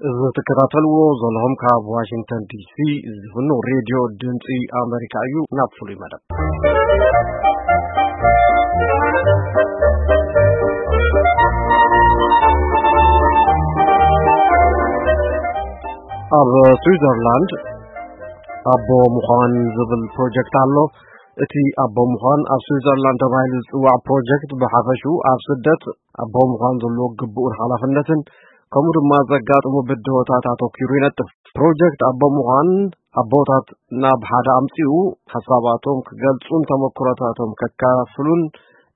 እዚ ትከታተልዎ ዘለኹም ካብ ዋሽንግተን ዲሲ ዝፍኖ ሬድዮ ድምፂ ኣሜሪካ እዩ። ናብ ፍሉይ መደብ። ኣብ ስዊዘርላንድ ኣቦ ምዃን ዝብል ፕሮጀክት ኣሎ። እቲ ኣቦ ምዃን ኣብ ስዊዘርላንድ ተባሂሉ ዝጽዋዕ ፕሮጀክት ብሓፈሽኡ ኣብ ስደት ኣቦ ምዃን ዘለዎ ግቡእን ሓላፍነትን ከምኡ ድማ ዘጋጥሙ ብድሆታት ኣተኲሩ ይነጥፍ። ፕሮጀክት ኣቦ ምዃን ኣቦታት ናብ ሓደ ኣምጺኡ ሓሳባቶም ክገልጹን ተመክሮታቶም ከካፍሉን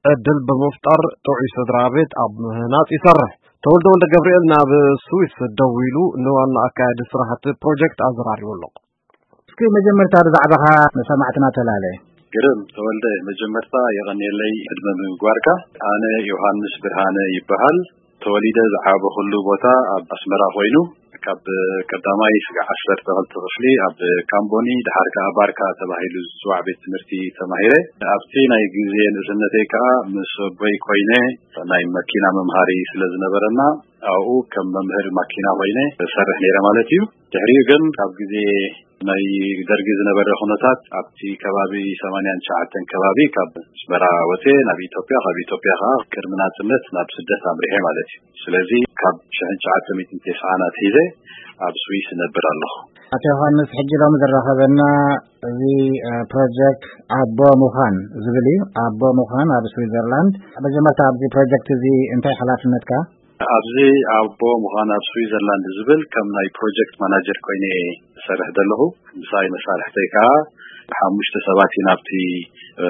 ዕድል ብምፍጣር ጥዑይ ስድራ ቤት ኣብ ምህናጽ ይሰርሕ። ተወልደ ወልደ ገብርኤል ናብ ስዊስ ደዊሉ ንዋና ኣካያዲ ስራሕቲ ፕሮጀክት ኣዘራሪቡ ኣሎ። እስኪ መጀመርታ ብዛዕባኻ ንሰማዕትና ተላለ። ግርም ተወልደ፣ መጀመርታ የቐንየለይ ዕድመ ምግባርካ። ኣነ ዮሃንስ ብርሃነ ይበሃል። ተወሊደ ዝዓበኹሉ ቦታ ኣብ ኣስመራ ኮይኑ፣ ካብ ቀዳማይ ስጋዕ ዓሰርተ ክልተ ክፍሊ ኣብ ካምቦኒ፣ ድሓር ከኣ ባርካ ተባሂሉ ዝጽዋዕ ቤት ትምህርቲ ተማሂረ። ኣብቲ ናይ ግዜ ንእስነተይ ከኣ ምስ ኣቦይ ኮይነ ናይ መኪና መምሃሪ ስለ ዝነበረና፣ ኣብኡ ከም መምህር ማኪና ኮይነ እሰርሕ ነይረ ማለት እዩ። ድሕሪኡ ግን ኣብ ግዜ ናይ ደርጊ ዝነበረ ኩነታት ኣብቲ ከባቢ ሰማንያን ትሽዓተን ከባቢ ካብ ኣስመራ ወፅየ ናብ ኢትዮጵያ፣ ካብ ኢትዮጵያ ከዓ ቅድሚ ናፅነት ናብ ስደት ኣምሪሐ ማለት እዩ። ስለዚ ካብ ሽሕን ትሽዓተ ሚእትን ተስዓን ኣትሒዘ ኣብ ስዊስ እነብር ኣለኹ። ኣቶ ዮሃንስ፣ ሕጂ ሎሚ ዘራኸበና እዚ ፕሮጀክት ኣቦ ምዃን ዝብል እዩ። ኣቦ ምዃን ኣብ ስዊዘርላንድ። መጀመርታ ኣብዚ ፕሮጀክት እዚ እንታይ ሓላፍነትካ? ኣብዚ ኣቦ ምዃን ኣብ ስዊዘርላንድ ዝብል ከም ናይ ፕሮጀክት ማናጀር ኮይነ እየ ዝሰርሕ ዘለኹ። ምሳይ መሳርሕተይ ከዓ ሓሙሽተ ሰባት ኢና ኣብቲ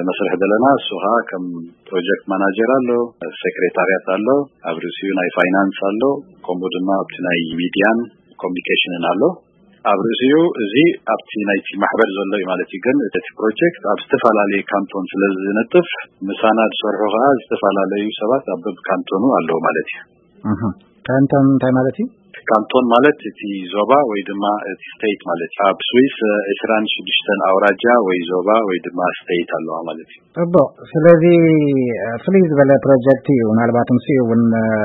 መስርሕ ዘለና። እሱ ከዓ ከም ፕሮጀክት ማናጀር ኣሎ፣ ሴክሬታርያት ኣሎ፣ ኣብ ርእሲኡ ናይ ፋይናንስ ኣሎ፣ ከምኡ ድማ ኣብቲ ናይ ሚድያን ኮሚኒኬሽንን ኣሎ። ኣብ ርእሲኡ እዚ ኣብቲ ናይቲ ማሕበር ዘሎ እዩ ማለት እዩ። ግን እቲ ፕሮጀክት ኣብ ዝተፈላለዩ ካንቶን ስለ ዝነጥፍ፣ ምሳና ዝሰርሑ ከዓ ዝተፈላለዩ ሰባት ኣብ በብካንቶኑ ኣለዉ ማለት እዩ። እህ። ካንቶን እንታይ ማለት እዩ? ካንቶን ማለት እቲ ዞባ ወይ ድማ እቲ ስቴት ማለት እዩ። ኣብ ስዊስ ዕስራን ሽዱሽተን ኣውራጃ ወይ ዞባ ወይ ድማ ስቴት ኣለዋ ማለት እዩ። ጽቡቕ። ስለዚ ፍልይ ዝበለ ፕሮጀክት እዩ። ምናልባት ምስ እውን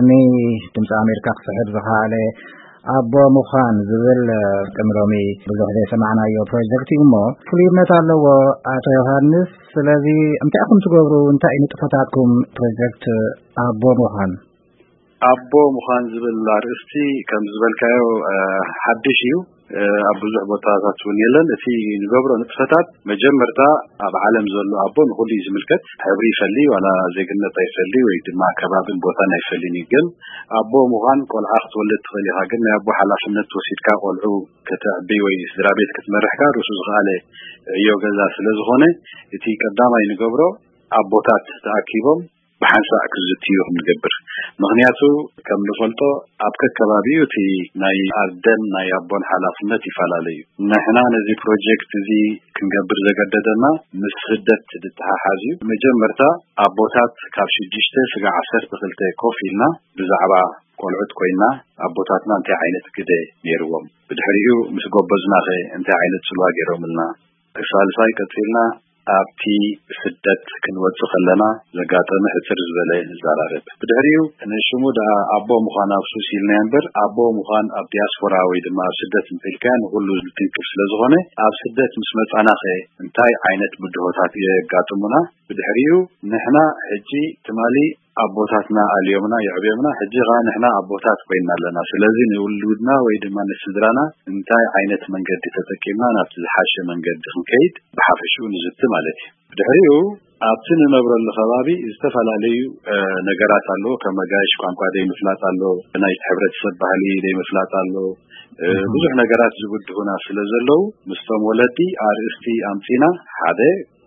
ንድምፂ ኣሜሪካ ክስሕብ ዝኸኣለ ኣቦ ምዃን ዝብል ቅድሚ ሎሚ ብዙሕ ዘይሰማዕናዮ ፕሮጀክት እዩ እሞ ፍሉይነት ኣለዎ። ኣቶ ዮሃንስ፣ ስለዚ እንታይ ኢኹም ትገብሩ? እንታይ እዩ ንጥፈታትኩም ፕሮጀክት ኣቦ ምዃን? ኣቦ ምዃን ዝብል ኣርእስቲ ከም ዝበልካዮ፣ እ፣ ሓድሽ እዩ። እ፣ ኣብ ብዙሕ ቦታታት እውን የለን። እቲ ንገብሮ ንጥፈታት መጀመርታ ኣብ ዓለም ዘሎ ኣቦ ንኹሉ እዩ ዝምልከት። ሕብሪ ይፈሊ፣ ዋላ ዜግነት ኣይፈሊ ወይ ድማ ከባብን ቦታን ኣይፈልን እዩ። ግን ኣቦ ምዃን ቆልዓ ክትወልድ ትኽእል ኢኻ። ግን ናይ ኣቦ ሓላፍነት ወሲድካ ቆልዑ ከተዕቢ ወይ ስድራ ቤት ክትመርሕካ ርእሱ ዝኸኣለ ዕዮ ገዛ ስለ ዝኾነ፣ እቲ ቀዳማይ ንገብሮ ኣቦታት ተኣኪቦም ብሓንሳእ ክዝትዩ ክንገብር። ምኽንያቱ ከም ንፈልጦ ኣብ ከከባቢኡ እቲ ናይ ኣደን ናይ ኣቦን ሓላፍነት ይፈላለ እዩ። ንሕና ነዚ ፕሮጀክት እዚ ክንገብር ዘገደደና ምስ ስደት ዝተሓሓዝ እዩ። መጀመርታ ኣቦታት ካብ ሽዱሽተ ስጋዕ ዓሰርተ ክልተ ኮፍ ኢልና ብዛዕባ ቆልዑት ኮይና ኣቦታትና እንታይ ዓይነት ግደ ነይርዎም፣ ብድሕሪኡ ምስ ጎበዝናኸ እንታይ ዓይነት ጽልዋ ገይሮምልና፣ ሳልሳይ ቀጺልና ኣብቲ ስደት ክንወጽእ ከለና ዘጋጠመ ሕጽር ዝበለ ንዘራረብ። ብድሕሪኡ ንሽሙ ደኣ ኣቦ ምዃን ኣብ ሱስ ኢልናዮ እምበር፣ ኣቦ ምዃን ኣብ ዲያስፖራ ወይ ድማ ኣብ ስደት እንተኢልካዮ ንኹሉ ዝትንክፍ ስለ ዝኾነ፣ ኣብ ስደት ምስ መጻናኸ እንታይ ዓይነት ብድሆታት የጋጥሙና? ብድሕሪኡ ንሕና ሕጂ ትማሊ ኣቦታትና ኣልዮምና የዕብዮምና፣ ሕጂ ኸኣ ንሕና ኣቦታት ኮይና ኣለና። ስለዚ ንውሉድና ወይ ድማ ንስድራና እንታይ ዓይነት መንገዲ ተጠቂምና ናብቲ ዝሓሸ መንገዲ ክንከይድ ብሓፈሽኡ ንዝቲ ማለት እዩ። ብድሕሪኡ ኣብቲ ንነብረሉ ከባቢ ዝተፈላለዩ፣ እ፣ ነገራት ኣለዉ። ከም መጋየሽ ቋንቋ ደይምፍላጥ ኣሎ፣ ናይቲ ሕብረተሰብ ባህሊ ደይምፍላጥ ኣሎ። እ፣ እህ። ብዙሕ ነገራት ዝብድሁና ስለ ዘለዉ ምስቶም ወለዲ ኣርእስቲ ኣምጺና ሓደ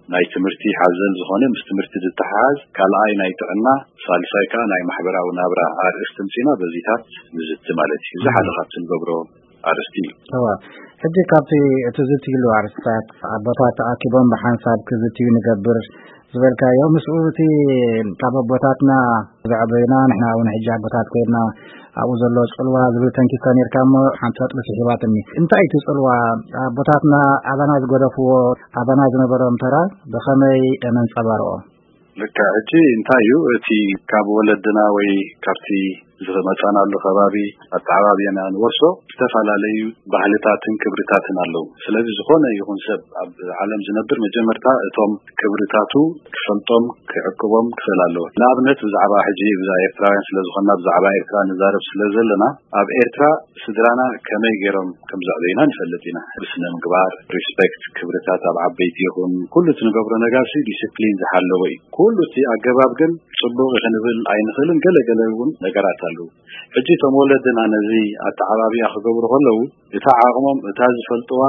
ናይ ትምህርቲ ሓዘል ዝኾነ ምስ ትምህርቲ ዝተሓሓዝ፣ ካልኣይ ናይ ጥዕና፣ ሳልሳይ ከኣ ናይ ማሕበራዊ ናብራ ኣርእስቲ ኣምጺና በዚታት ንዝቲ ማለት እዩ። እዚ ሓደ ካብቲ ንገብሮ ኣርእስቲ እዩ። እወ፣ ሕጂ ካብቲ እትዝትይሉ ኣርእስታት ኣቦታት ተኣኪቦም ብሓንሳብ ክዝትዩ ንገብር ዝበልካዮ፣ ምስኡ እቲ ካብ ኣቦታትና ዘዕበዩና ንሕና እውን ሕጂ ኣቦታት ኮይንና ኣብኡ ዘሎ ጽልዋ ዝብል ተንኪፍካ ነርካ እሞ ሓንቲ ነጥቢ ስሒባትኒ። እንታይ እቲ ጽልዋ ኣቦታትና ኣባና ዝገደፍዎ፣ ኣባና ዝነበሮም ተራ ብኸመይ ነንጸባርቆ? ልክዕ። ሕጂ እንታይ እዩ እቲ ካብ ወለድና ወይ ካብቲ ዝመጻናሉ ከባቢ ኣተዓባብያና ንወርሶ ዝተፈላለዩ ባህልታትን ክብርታትን ኣለዉ። ስለዚ ዝኾነ ይኹን ሰብ ኣብ ዓለም ዝነብር መጀመርታ እቶም ክብርታቱ ክፈልጦም ክዕቅቦም ክኽእል ኣለዎ። ንኣብነት ብዛዕባ ሕጂ ብዛዕባ ኤርትራውያን ስለ ዝኾንና ብዛዕባ ኤርትራ ንዛረብ ስለ ዘለና ኣብ ኤርትራ ስድራና ከመይ ገይሮም ከም ዘዕበዩና ንፈልጥ ኢና። ብስነ ምግባር፣ ሪስፔክት፣ ክብርታት ኣብ ዓበይቲ ይኹን ኩሉ እቲ ንገብሮ ነገር ሲ ዲስፕሊን ዝሓለወ እዩ። ኩሉ እቲ ኣገባብ ግን ጽቡቕ ክንብል ኣይንኽእልን። ገለ ገለ እውን ነገራት ኣለዉ። ሕጂ እቶም ወለድና ነዚ ኣተዓባብያ ክገብሩ ከለዉ እታ ዓቕሞም እታ ዝፈልጥዋ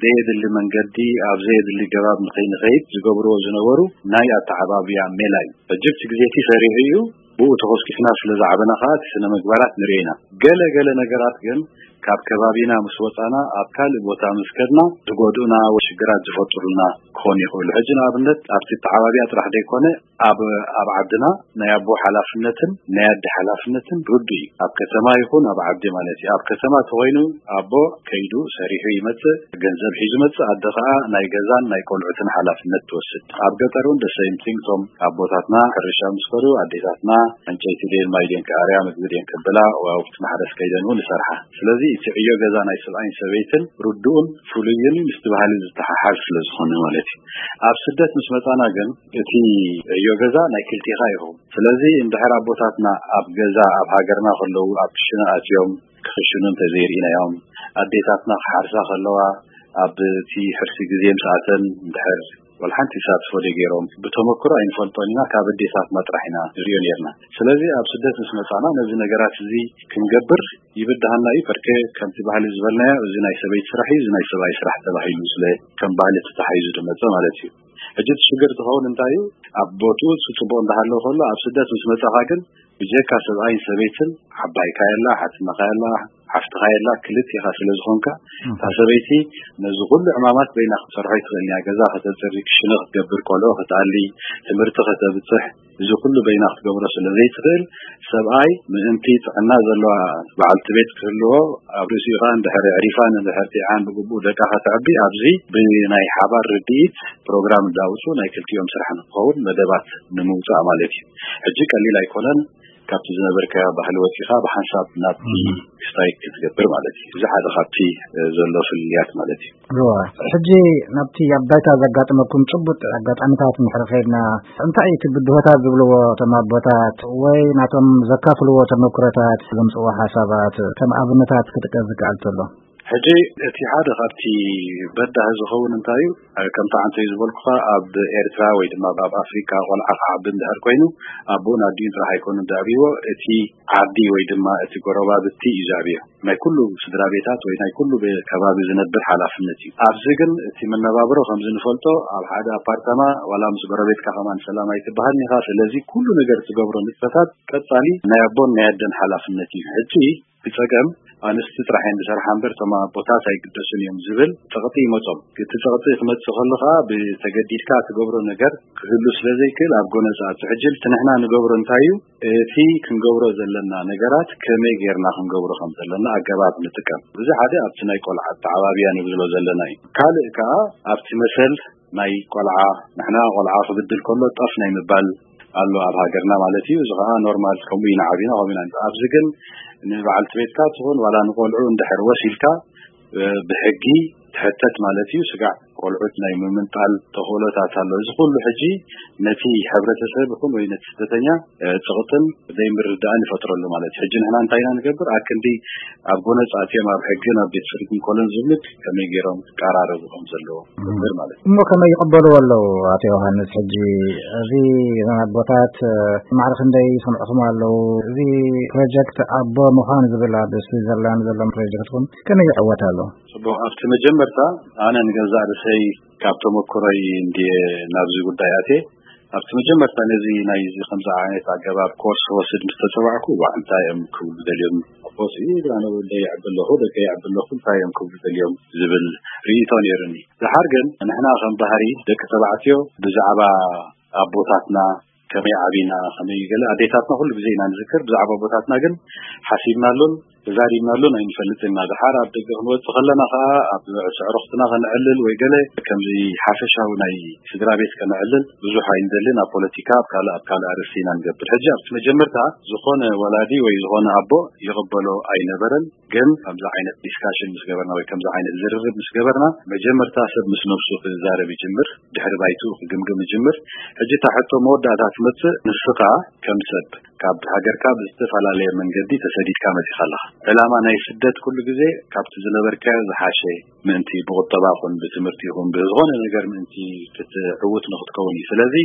ዘየድሊ መንገዲ ኣብ ዘየድሊ ገባብ ንኸይንኸይድ ዝገብርዎ ዝነበሩ ናይ ኣተዓባብያ ሜላ እዩ። ሕጂ እቲ ግዜ እቲ ሰሪሑ እዩ። ብኡ ተኾስኪስና ስለ ዝዓበና ከኣ እቲ ስነ ምግባራት ንርኢ ኢና። ገለ ገለ ነገራት ግን ካብ ከባቢና ምስ ወጻና ኣብ ካልእ ቦታ ምስ ከድና ዝጎድኡና ወይ ሽግራት ዝፈጥሩልና ክኾኑ ይኽእሉ። ሕጂ ንኣብነት ኣብቲ ኣተዓባብያ ጥራሕ ዘይኮነ ኣብ ኣብ ዓድና ናይ ኣቦ ሓላፍነትን ናይ ኣደ ሓላፍነትን ርዱእ እዩ። ኣብ ከተማ ይኹን ኣብ ዓዲ ማለት እዩ። ኣብ ከተማ ተኾይኑ ኣቦ ከይዱ ሰሪሑ ይመጽእ፣ ገንዘብ ሒዙ ይመጽእ፣ ኣደ ኸኣ ናይ ገዛን ናይ ቆልዑትን ሓላፍነት ትወስድ። ኣብ ገጠር እውን ደሰይምቲንግ እቶም ኣቦታትና ሕርሻ ምስ ከዱ ኣዴታትና ዕንጨይቲ ድየን ማይ ድየን ክኣርያ ምግቢ ድየን ከብላ ወይ ኣብቲ ማሕረስ ከይደን እውን ይሰርሓ። ስለዚ እቲ ዕዮ ገዛ ናይ ሰብኣይን ሰበይትን ርዱእን ፍሉይን ምስቲ ባህሊ ዝተሓሓዝ ስለ ዝኾነ ማለት እዩ። ኣብ ስደት ምስ መጻና ግን እቲ ዕዮ ገዛ ናይ ክልቴኻ ይኸውን። ስለዚ እንድሕር ኣቦታትና ኣብ ገዛ ኣብ ሃገርና ከለዉ ኣብ ክሽነ ኣትዮም ክኽሽኑ እንተዘይርኢናዮም ኣዴታትና ክሓርሳ ከለዋ ኣብ እቲ ሕርሲ ግዜ ምስ ኣተን እንድሕር ወላ ሓንቲ ተሳትፎ ደይገይሮም ብተመክሮ ኣይንፈልጦን ኢና፣ ካብ ኣዴታትና ጥራሕ ኢና ንሪኦ ነርና። ስለዚ ኣብ ስደት ምስ መጻና ነዚ ነገራት እዚ ክንገብር ይብድሃና እዩ። በርከ ከምቲ ባህሊ ዝበልናዮ እዚ ናይ ሰበይቲ ስራሕ እዩ፣ እዚ ናይ ሰብኣይ ስራሕ ተባሂሉ ስለ ከም ባህሊ ተታሒዙ ዝመጸ ማለት እዩ። ሕጂ እቲ ሽግር ዝኸውን እንታይ እዩ? ኣብ ቦትኡ እቲ ጽቡቕ እንዳሃለወ ከሎ ኣብ ስደት ምስ መጻኻ ግን ብጀካ ሰብኣይን ሰበይትን ዓባይካ የላ፣ ሓትነኻ የላ፣ ሓፍትኻ የላ፣ ክልቴኻ ስለ ዝኾንካ እታ ሰበይቲ ነዚ ኩሉ ዕማማት በይና ክትሰርሖ ኣይትኽእልን እያ። ገዛ ከተጽሪ፣ ክሽነ ክትገብር፣ ቆልዑ ክትኣሊ፣ ትምህርቲ ከተብጽሕ፣ እዚ ኩሉ በይና ክትገብሮ ስለ ዘይትኽእል ሰብኣይ ምእንቲ ጥዕና ዘለዋ በዓልቲ ቤት ክህልዎ ኣብ ርእሲኡ ኸኣ እንድሕር ኣዕሪፋን እንድሕር ጢዓን ብግቡእ ደቃ ከተዕቢ ኣብዚ ብናይ ሓባር ርድኢት ፕሮግራም እንዳውጹ ናይ ክልቲኦም ስራሕ ንክኸውን መደባት ንምውጻእ ማለት እዩ። ሕጂ ቀሊል ኣይኮነን። ካብቲ ዝነበርካዮ ባህሊ ወጺኻ ብሓንሳብ ናብቲ ክስታይ ክትገብር ማለት እዩ። እዚ ሓደ ካብቲ ዘሎ ፍልልያት ማለት እዩ። እዋ፣ ሕጂ ናብቲ ኣብ ባይታ ዘጋጠመኩም ጭቡጥ ኣጋጣሚታት እንድሕር ኸይድና እንታይ እዩ እቲ ብድሆታት ዝብልዎ እቶም ኣቦታት ወይ ናቶም ዘካፍልዎ ተመክሮታት ዘምጽዎ ሓሳባት ከም ኣብነታት ክጥቀስ ዝከኣል ተሎ? ሕጂ እቲ ሓደ ካብቲ በዳሂ ዝኸውን እንታይ እዩ? ከምቲ ዓንተይ ዝበልኩኻ ኣብ ኤርትራ ወይ ድማ ኣብ ኣፍሪካ ቆልዓ ክዓቢ እንድሕር ኮይኑ ኣቦኡን ኣዲኡን ጥራሕ ኣይኮኑን ዘዕብይዎ፣ እቲ ዓዲ ወይ ድማ እቲ ጎረባብቲ እዩ ዘዕብዮ። ናይ ኩሉ ስድራ ቤታት ወይ ናይ ኩሉ ቤ- ከባቢ ዝነብር ሓላፍነት እዩ። ኣብዚ ግን እቲ መነባብሮ ከምዚ ንፈልጦ ኣብ ሓደ ኣፓርታማ ዋላ ምስ ጎረቤትካ ከማን ሰላም ኣይትበሃልን ኢኻ። ስለዚ ኩሉ ነገር ትገብሮ ንጥፈታት ቀጻሊ ናይ ኣቦን ናይ ኣደን ሓላፍነት እዩ። ሕጂ ብጸገም ኣንስቲ ጥራሕ እየን ዝሰርሓ እምበር እቶም ኣቦታት ኣይግደሱን እዮም ዝብል ጸቕጢ ይመጾም። እቲ ጸቕጢ ክመጽእ ከሎ ከኣ ብተገዲድካ ትገብሮ ነገር ክህሉ ስለ ዘይክእል ኣብ ጎነጻ ትዕጅል። እቲ ንሕና ንገብሮ እንታይ እዩ? እቲ ክንገብሮ ዘለና ነገራት ከመይ ጌርና ክንገብሮ ከም ዘለና ኣገባብ ንጥቀም። እዚ ሓደ ኣብቲ ናይ ቆልዓ ኣተዓባብያ ንብሎ ዘለና እዩ። ካልእ ከኣ ኣብቲ መሰል ናይ ቆልዓ፣ ንሕና ቆልዓ ክብድል ከሎ ጠፍ ናይ ምባል ኣሎ ኣብ ሃገርና ማለት እዩ። እዚ ከኣ ኖርማል፣ ከምኡ ኢና ዓቢና፣ ከምኡ ኢና። ኣብዚ ግን ንበዓልቲ ቤትካ ትኹን ዋላ ንቆልዑ እንድሕር ወሲልካ ብሕጊ ትሕተት ማለት እዩ። ስጋዕ ቆልዑት ናይ ምምንጣል ተኽእሎታት ኣሎ። እዚ ኩሉ ሕጂ ነቲ ሕብረተሰብ ይኹን ወይ ነቲ ስደተኛ ጽቕጥን ዘይምርዳእን ይፈጥረሉ ማለት እዩ። ሕጂ ንሕና እንታይ ኢና ንገብር? ኣክንዲ ኣብ ጎነጽ ኣትዮም ኣብ ሕግን ኣብ ቤት ፍርድን ኮሎን ዝብሉት ከመይ ገይሮም ክቀራረቡ ከም ዘለዎ ንገብር ማለት እዩ። እሞ ከመይ ይቕበልዎ ኣለዉ? ኣቶ ዮሃንስ፣ ሕጂ እዚ ኣቦታት ማዕረ ክንደይ ይሰምዕኹም ኣለዉ? እዚ ፕሮጀክት ኣቦ ምዃን ዝብል ኣብ ስዊዘርላንድ ዘሎ ፕሮጀክትኩም ከመይ ይዕወት ኣሎ? ጽቡቕ፣ ኣብቲ መጀመርታ ኣነ ንገዛእ ርእሰይ ካብ ተመክሮይ እንድየ ናብዚ ጉዳይ ኣትየ። ኣብቲ መጀመርታ ነዚ ናይዚ ከምዚ ዓይነት ኣገባብ ኮርስ ክወስድ ምስ ተጸዋዕኩ፣ ዋዕ እንታይ እዮም ክብሉ ደልዮም? ኣቦስ፣ "ኢ፣ ኣነ ወደይ የዕቢ ኣለኹ፣ ደቀይ የዕቢ ኣለኹ፣ እንታይ እዮም ክብሉ ደልዮም?" ዝብል ርእይቶ ነይሩኒ። ደሓር ግን ንሕና ከም ባህሪ ደቂ ተባዕትዮ ብዛዕባ ኣቦታትና ከመይ ዓቢና፣ ከመይ ገለ ኣዴታትና ኩሉ ግዜ ኢና ንዝክር። ብዛዕባ ኣቦታትና ግን ሓሲብናሉን ተዛሪብናሉን ኣይንፈልጥን ኢና። ድሓር ኣብ ደገ ክንወጽእ ከለና ከኣ ኣብ ስዕረኽትና ከነዕልል ወይ ገለ ከምዚ ሓፈሻዊ ናይ ስድራ ቤት ከነዕልል ብዙሕ ኣይንደልን። ኣብ ፖለቲካ፣ ኣብ ካልእ፣ ኣብ ካልእ ኣርእስቲ ኢና ንገብር። ሕጂ ኣብቲ መጀመርታ ዝኾነ ወላዲ ወይ ዝኾነ ኣቦ ይቕበሎ ኣይነበረን። ግን ከምዚ ዓይነት ዲስካሽን ምስ ገበርና ወይ ከምዚ ዓይነት ዝርርብ ምስ ገበርና፣ መጀመርታ ሰብ ምስ ነብሱ ክዛረብ ይጅምር፣ ድሕሪ ባይትኡ ክግምግም ይጅምር። ሕጂ እታ ሕቶ መወዳእታ ትመጽእ፣ ንስኻ ከም ሰብ ካብ ሃገርካ ብዝተፈላለየ መንገዲ ተሰዲድካ መጺኻ ኣለኻ። ዕላማ ናይ ስደት ኩሉ ግዜ ካብቲ ዝነበርካዮ ዝሓሸ ምእንቲ ብቁጠባ ይኹን ብትምህርቲ ይኹን ብዝኾነ ነገር ምእንቲ ክትዕውት ንክትከውን እዩ። ስለዚ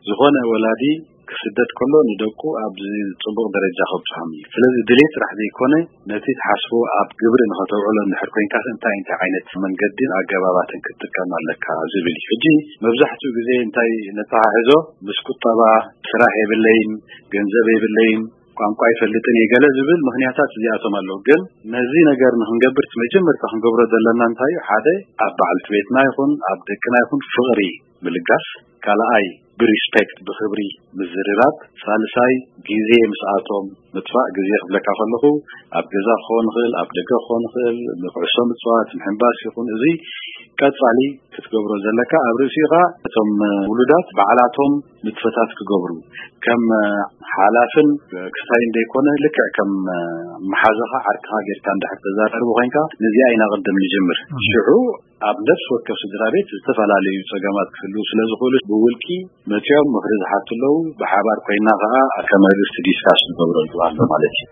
ዝኾነ ወላዲ ክስደድ ከሎ ንደቁ ኣብዚ ጽቡቕ ደረጃ ከብጽሖም እዩ። ስለዚ ድሌት ጥራሕ ዘይኮነ፣ ነቲ ትሓስቦ ኣብ ግብሪ ንኸተውዕሎ እንድሕር ኮይንካ፣ እንታይ እንታይ ዓይነት መንገድን ኣገባባትን ክትጥቀም ኣለካ ዝብል እዩ። ሕጂ መብዛሕትኡ ግዜ እንታይ ነተሓሕዞ፣ ምስ ቁጠባ፣ ስራሕ የብለይን፣ ገንዘብ የብለይን፣ ቋንቋ ይፈልጥን እየ፣ ገለ ዝብል ምኽንያታት እዚኣቶም ኣለዉ። ግን ነዚ ነገር ንክንገብር እቲ መጀመርታ ክንገብሮ ዘለና እንታይ እዩ? ሓደ፣ ኣብ በዓልቲ ቤትና ይኹን ኣብ ደቅና ይኹን ፍቕሪ ምልጋስ፣ ካልኣይ ብሪስፔክት፣ ብኽብሪ ምዝርራብ፣ ሳልሳይ ግዜ ምስኣቶም ምጥፋእ። ግዜ ክብለካ ከለኹ ኣብ ገዛ ክኸውን ይኽእል፣ ኣብ ደገ ክኸውን ይኽእል፣ ንኩዕሶ ምጽዋት፣ ምሕንባስ ይኹን፣ እዚ ቀጻሊ ክትገብሮ ዘለካ። ኣብ ርእሲኡ ኸኣ እቶም ውሉዳት ባዕላቶም ንጥፈታት ክገብሩ፣ ከም ሓላፍን ክስታይን ዘይኮነ፣ ልክዕ ከም መሓዛኻ ዓርክኻ ጌርካ እንድሕር ተዛራርቡ ኮይንካ፣ ነዚኣ ኢና ቅድም ንጅምር። ሽዑ ኣብ ነፍሲ ወከፍ ስድራ ቤት ዝተፈላለዩ ጸገማት ክህልዉ ስለ ዝኽእሉ፣ ብውልቂ መጺኦም ምኽሪ ዝሓቱ ኣለዉ። ብሓባር ኮይና ከኣ ከም ኣርእስቲ ዲስካስ ንገብረሉ ኣሎ ማለት እዩ።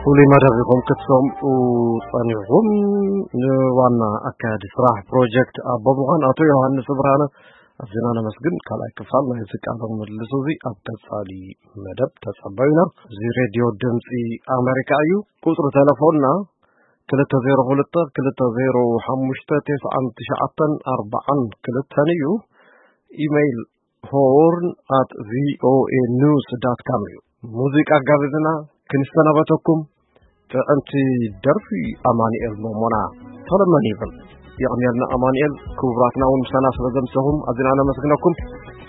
ፍሉይ መደብ ኢኹም ክትሰምዑ ጸኒሕኩም። ንዋና ኣካያዲ ስራሕ ፕሮጀክት ኣቦ ምዃን ኣቶ ዮሃንስ ብርሃነ ኣዝና ነመስግን። ካልኣይ ክፋል ናይዚ ቃለ ምልልስ እዚ ኣብ ቀጻሊ መደብ ተጸበዩና። እዚ ሬድዮ ድምጺ ኣሜሪካ እዩ። ቁጽሪ ተለፎንና ክልተ ዜሮ ክልተ ክልተ ዜሮ ሓሙሽተ ተስዓን ትሽዓተን ኣርባዓን ክልተን እዩ። ኢሜይል ሆርን ኣት ቪኦኤ ኒውስ ዳት ካም እዩ። ሙዚቃ ጋብዝና ክንሰናበተኩም። ጥዕምቲ ደርፊ ኣማኑኤል ሞሞና ተለመን ይብል። የቕንየልና ኣማኑኤል፣ ክቡራትና እውን ምሳና ስለ ዘምሰኹም ኣዝና ነመስግነኩም።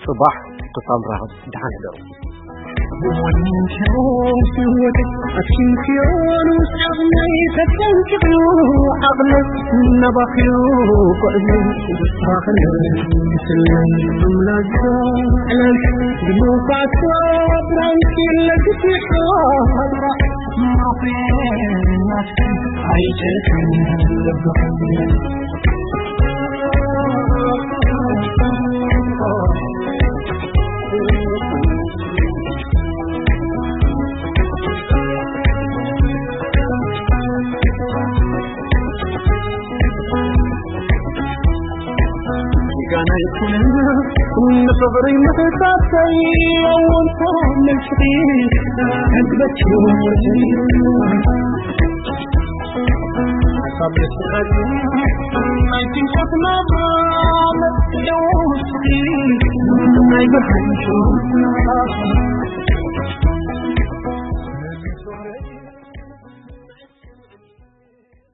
ጽባሕ ክሳብ ንራኸብ ደሓን ሕደሩ።